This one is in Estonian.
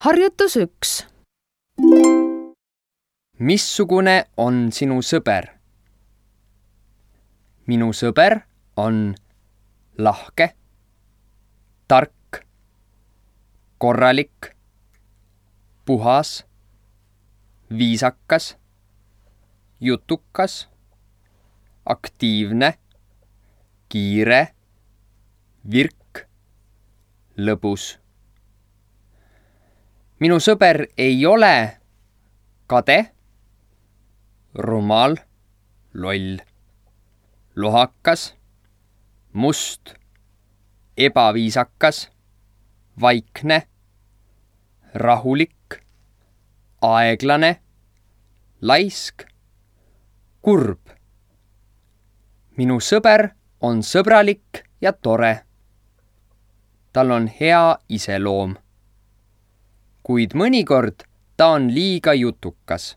Harjutus 1. Missugune on sinu sõber? Minu sõber on lahke, tark, korralik, puhas, viisakas, jutukas, aktiivne, kiire, virk, lõbus. Minu sõber ei ole kade, rumal, loll, lohakas, must, ebaviisakas, vaikne, rahulik, aeglane, laisk, kurb. Minu sõber on sõbralik ja tore. Tal on hea iseloom. Kuid mõnikord ta on liiga jutukas.